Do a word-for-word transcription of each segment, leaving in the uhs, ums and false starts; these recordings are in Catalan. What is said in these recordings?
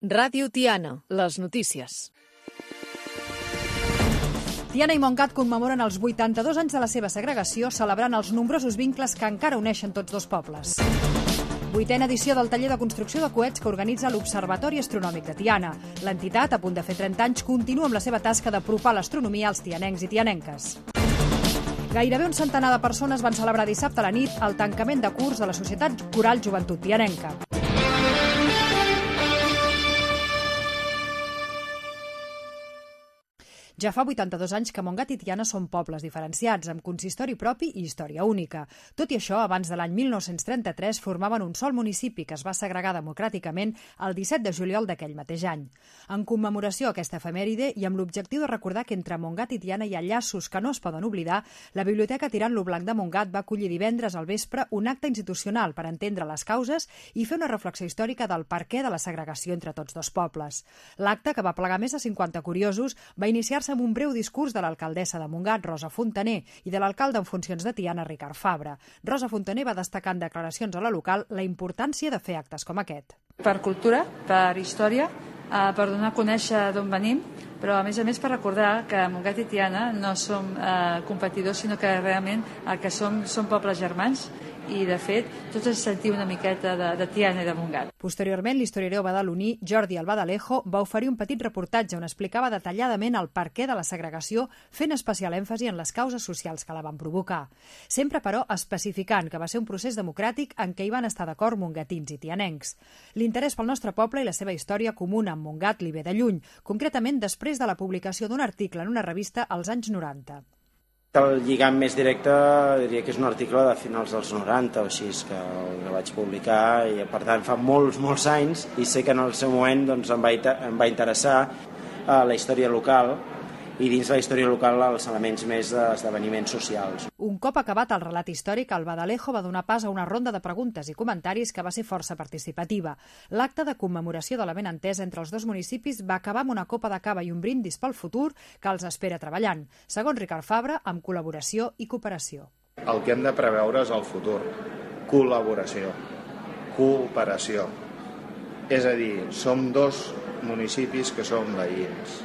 Ràdio Tiana, les notícies. Tiana i Montgat commemoren els vuitanta-dos anys de la seva segregació, celebrant els nombrosos vincles que encara uneixen tots dos pobles. Vuitena edició del taller de construcció de coets que organitza l'Observatori Astronòmic de Tiana. L'entitat, a punt de fer trenta anys, continua amb la seva tasca d'apropar l'astronomia als tianencs i tianenques. Gairebé un centenar de persones van celebrar dissabte a la nit el tancament de curs de la Societat Coral Joventut Tianenca. Ja fa vuitanta-dos anys que Montgat i Tiana són pobles diferenciats, amb consistori propi i història única. Tot i això, abans de l'any mil nou-cents trenta-tres formaven un sol municipi que es va segregar democràticament el disset de juliol d'aquell mateix any. En commemoració a aquesta efemèride i amb l'objectiu de recordar que entre Montgat i Tiana hi ha llaços que no es poden oblidar, la Biblioteca Tirant lo Blanc de Montgat va acollir divendres al vespre un acte institucional per entendre les causes i fer una reflexió històrica del perquè de la segregació entre tots dos pobles. L'acte, que va plegar més de cinquanta curiosos, va iniciar-se amb un breu discurs de l'alcaldessa de Montgat, Rosa Fontaner, i de l'alcalde en funcions de Tiana, Ricard Fabra. Rosa Fontaner va destacar en declaracions a la local la importància de fer actes com aquest. Per cultura, per història, eh, per donar a conèixer d'on venim, però a més a més per recordar que Montgat i Tiana no som eh, competidors, sinó que realment el que som són pobles germans, i de fet tots ens sentim una miqueta de, de Tiana i de Montgat. Posteriorment, l'historiador badaloní Jordi Albadalejo va oferir un petit reportatge on explicava detalladament el perquè de la segregació, fent especial èmfasi en les causes socials que la van provocar. Sempre, però, especificant que va ser un procés democràtic en què hi van estar d'acord mongatins i tianencs. L'interès pel nostre poble i la seva història comuna amb Montgat li ve de lluny, concretament després de la publicació d'un article en una revista als anys noranta. El lligam més directe diria que és un article de finals dels noranta o així, que el vaig publicar i per tant fa molts, molts anys, i sé que en el seu moment doncs, em, va, em va interessar eh, la història local i dins la història local els elements més d'esdeveniments socials. Un cop acabat el relat històric, el Badalejo va donar pas a una ronda de preguntes i comentaris que va ser força participativa. L'acte de commemoració de la benentesa entre els dos municipis va acabar amb una copa de cava i un brindis pel futur que els espera treballant, segons Ricard Fabra, amb col·laboració i cooperació. El que hem de preveure és el futur. Col·laboració, cooperació. És a dir, som dos municipis que som veïns,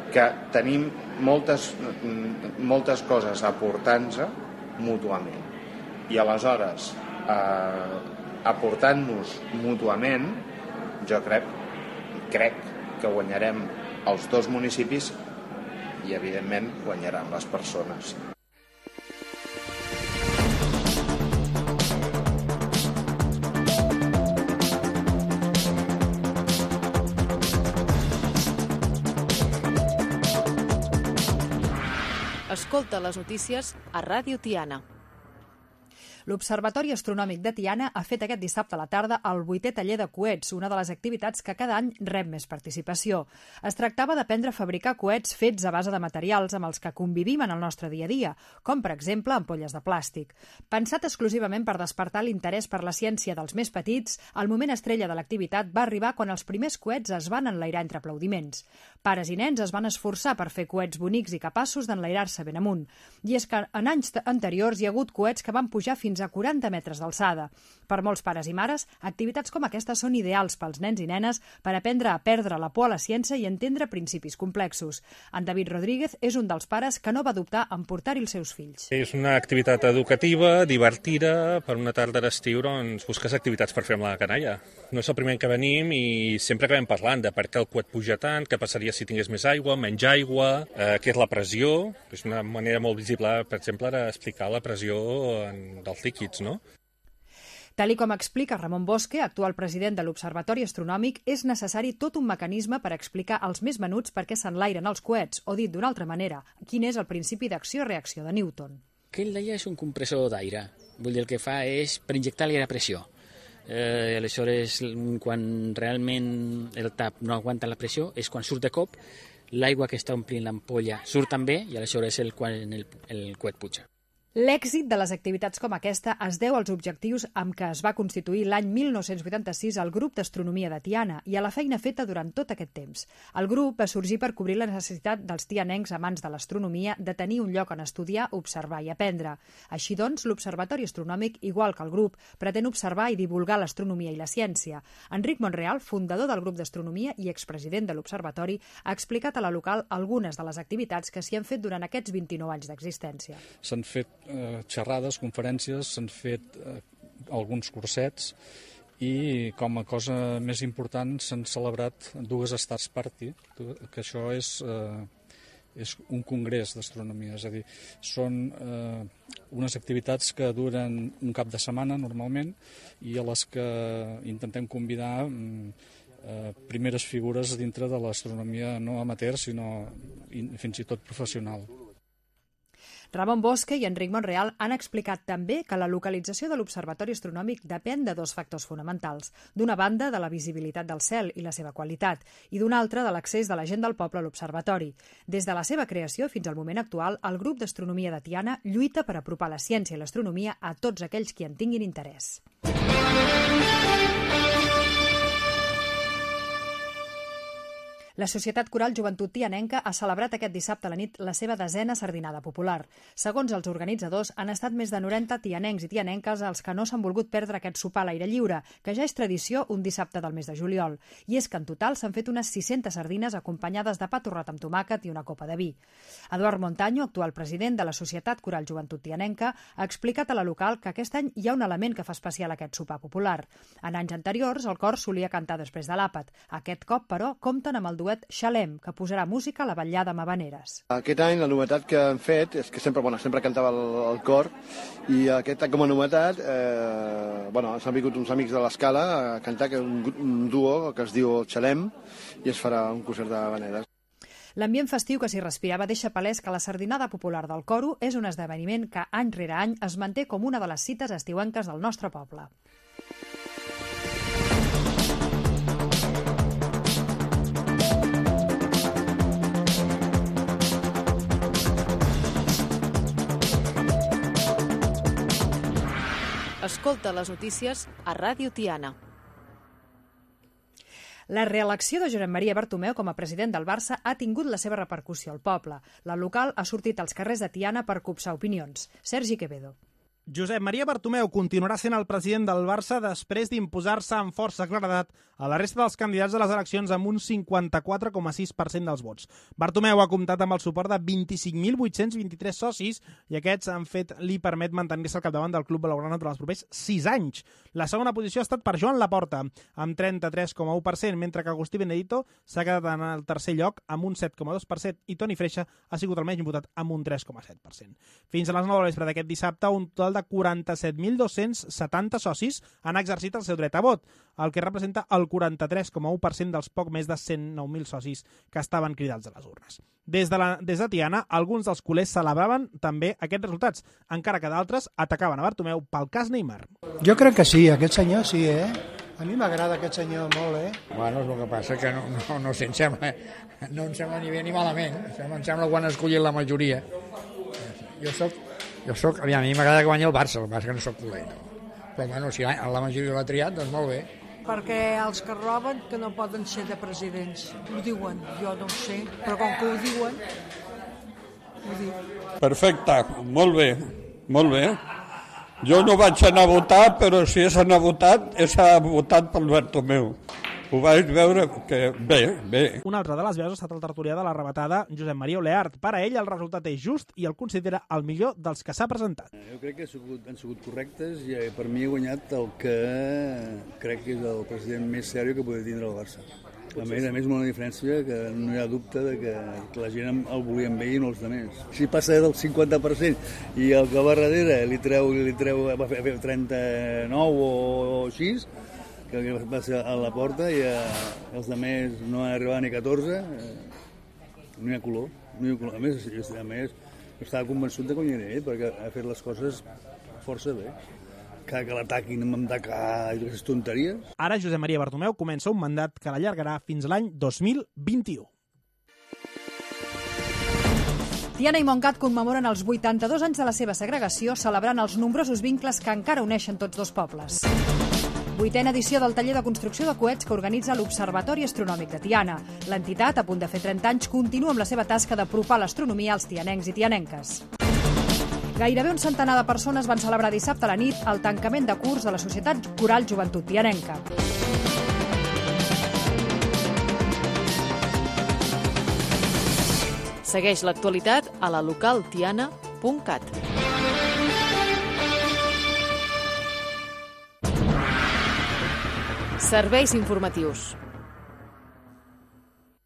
que tenim moltes, moltes coses a aportar-nos mútuament. I aleshores, eh, aportant-nos mútuament, jo crec, crec que guanyarem els dos municipis i, evidentment, guanyaran les persones. Escolta les notícies a Ràdio Tiana. L'Observatori Astronòmic de Tiana ha fet aquest dissabte a la tarda el vuitè taller de coets, una de les activitats que cada any rep més participació. Es tractava d'aprendre a fabricar coets fets a base de materials amb els que convivim en el nostre dia a dia, com per exemple ampolles de plàstic. Pensat exclusivament per despertar l'interès per la ciència dels més petits, el moment estrella de l'activitat va arribar quan els primers coets es van enlairar entre aplaudiments. Pares i nens es van esforçar per fer coets bonics i capaços d'enlairar-se ben amunt. I és que en anys anteriors hi ha hagut coets que van pujar fins a quaranta metres d'alçada. Per molts pares i mares, activitats com aquestes són ideals pels nens i nenes per aprendre a perdre la por a la ciència i entendre principis complexos. En David Rodríguez és un dels pares que no va dubtar en portar-hi els seus fills. És una activitat educativa, divertida, per una tarda d'estiu doncs, busques activitats per fer amb la canalla. No és el primer que venim i sempre acabem parlant de per què el coet puja tant, què passaria si tingués més aigua, menys aigua, eh, què és la pressió. És una manera molt visible, per exemple, d'explicar la pressió en, dels líquids, no? Tal i com explica Ramon Bosque, actual president de l'Observatori Astronòmic, és necessari tot un mecanisme per explicar als més menuts per què s'enlairen els coets, o dit d'una altra manera, quin és el principi d'acció-reacció de Newton. Aquell d'allà és un compressor d'aire. Vull dir, el que fa és per injectar-li la pressió. Eh, aleshores, quan realment el tap no aguanta la pressió, és quan surt de cop, l'aigua que està omplint l'ampolla surt també i aleshores és el, quan el, el coet puja. L'èxit de les activitats com aquesta es deu als objectius amb què es va constituir l'any mil nou-cents vuitanta-sis el Grup d'Astronomia de Tiana i a la feina feta durant tot aquest temps. El grup va sorgir per cobrir la necessitat dels tianencs amants de l'astronomia de tenir un lloc on estudiar, observar i aprendre. Així doncs, l'Observatori Astronòmic, igual que el grup, pretén observar i divulgar l'astronomia i la ciència. Enric Monreal, fundador del Grup d'Astronomia i expresident de l'Observatori, ha explicat a la local algunes de les activitats que s'hi han fet durant aquests vint-i-nou anys d'existència. S'han fet eh, xerrades, conferències, s'han fet eh, alguns cursets i com a cosa més important s'han celebrat dues Stars Party, que això és, eh, és un congrés d'astronomia, és a dir, són eh, unes activitats que duren un cap de setmana normalment i a les que intentem convidar eh, primeres figures dintre de l'astronomia no amateur, sinó fins i tot professional. Ramon Bosque i Enric Monreal han explicat també que la localització de l'Observatori Astronòmic depèn de dos factors fonamentals. D'una banda, de la visibilitat del cel i la seva qualitat, i d'una altra, de l'accés de la gent del poble a l'observatori. Des de la seva creació fins al moment actual, el Grup d'Astronomia de Tiana lluita per apropar la ciència i l'astronomia a tots aquells qui en tinguin interès. La Societat Coral Joventut Tianenca ha celebrat aquest dissabte a la nit la seva desena sardinada popular. Segons els organitzadors, han estat més de noranta tianencs i tianenques els que no s'han volgut perdre aquest sopar a l'aire lliure, que ja és tradició un dissabte del mes de juliol. I és que en total s'han fet unes sis-centes sardines acompanyades de pa torrat amb tomàquet i una copa de vi. Eduard Montaño, actual president de la Societat Coral Joventut Tianenca, ha explicat a la local que aquest any hi ha un element que fa especial aquest sopar popular. En anys anteriors, el cor solia cantar després de l'àpat. Aquest cop, però, compten amb el duet Xalem, que posarà música a la vetllada amb habaneres. Aquest any la novetat que han fet és que sempre, bueno, sempre cantava el, el cor i aquest any com a novetat eh, bueno, s'han vingut uns amics de l'Escala a cantar que un, un duo que es diu Xalem i es farà un concert d'habaneres. L'ambient festiu que s'hi respirava deixa palès que la sardinada popular del coro és un esdeveniment que any rere any es manté com una de les cites estiuenques del nostre poble. Escolta les notícies a Ràdio Tiana. La reelecció de Josep Maria Bartomeu com a president del Barça ha tingut la seva repercussió al poble. La local ha sortit als carrers de Tiana per copsar opinions. Sergi Quevedo. Josep Maria Bartomeu continuarà sent el president del Barça després d'imposar-se amb força claredat a la resta dels candidats de les eleccions amb un cinquanta-quatre coma sis per cent dels vots. Bartomeu ha comptat amb el suport de vint-i-cinc mil vuit-cents vint-i-tres socis i aquests han fet li permet mantenir-se al capdavant del club blaugrana durant els propers sis anys. La segona posició ha estat per Joan Laporta, amb trenta-tres coma u per cent, mentre que Agustí Benedito s'ha quedat en el tercer lloc amb un set coma dos per cent i Toni Freixa ha sigut el menys votat amb un tres coma set per cent. Fins a les nou de la vespre d'aquest dissabte, un total de quaranta-set mil dos-cents setanta socis han exercit el seu dret a vot, el que representa el quaranta-tres coma u per cent dels poc més de cent nou mil socis que estaven cridats a les urnes. Des de, la, des de Tiana, alguns dels culers celebraven també aquests resultats, encara que d'altres atacaven a Bartomeu pel cas Neymar. Jo crec que sí, aquest senyor sí, eh? A mi m'agrada aquest senyor molt, eh? Bueno, és el que passa que no, no, no, em sembla, no em sembla ni bé ni malament, em sembla quan ha escollit la majoria. Jo soc Jo soc, a mi m'agrada que guanyi el Barça, el Barça que no soc culer, no. Però bueno, si la majoria l'ha triat, doncs molt bé. Perquè els que roben que no poden ser de presidents. Ho diuen, jo no ho sé, però com que ho diuen, ho diuen. Perfecte, molt bé, molt bé. Jo no vaig anar a votar, però si és anar a votar, és votat pel Bartomeu. Ho vaig veure que bé, bé. Una altra de les veus ha estat el tertulià de la rebatada, Josep Maria Oleart. Per a ell el resultat és just i el considera el millor dels que s'ha presentat. Jo crec que han sigut, han sigut correctes i per mi he guanyat el que crec que és el president més sèrio que podia tindre el Barça. A més, a més, una diferència que no hi ha dubte de que la gent el volien bé i no els altres. Si passa del cinquanta per cent i el que va darrere li treu, li treu va fer trenta-nou o, o així, que va ser a la porta i eh, els altres no han arribat ni catorze, eh, no hi ha color. No hi ha color. A més, a més, estava convençut de que guanyaré ell, perquè ha fet les coses força bé. Que, que l'ataquin amb atacar i aquestes tonteries. Ara Josep Maria Bartomeu comença un mandat que l'allargarà fins l'any dos mil vint-i-u. Tiana i Montgat commemoren els vuitanta-dos anys de la seva segregació, celebrant els nombrosos vincles que encara uneixen tots dos pobles. Vuitena edició del taller de construcció de coets que organitza l'Observatori Astronòmic de Tiana. L'entitat, a punt de fer trenta anys, continua amb la seva tasca d'apropar l'astronomia als tianencs i tianenques. Gairebé un centenar de persones van celebrar dissabte a la nit el tancament de curs de la Societat Coral Joventut Tianenca. Segueix l'actualitat a la local tiana punt cat. Serveis informatius.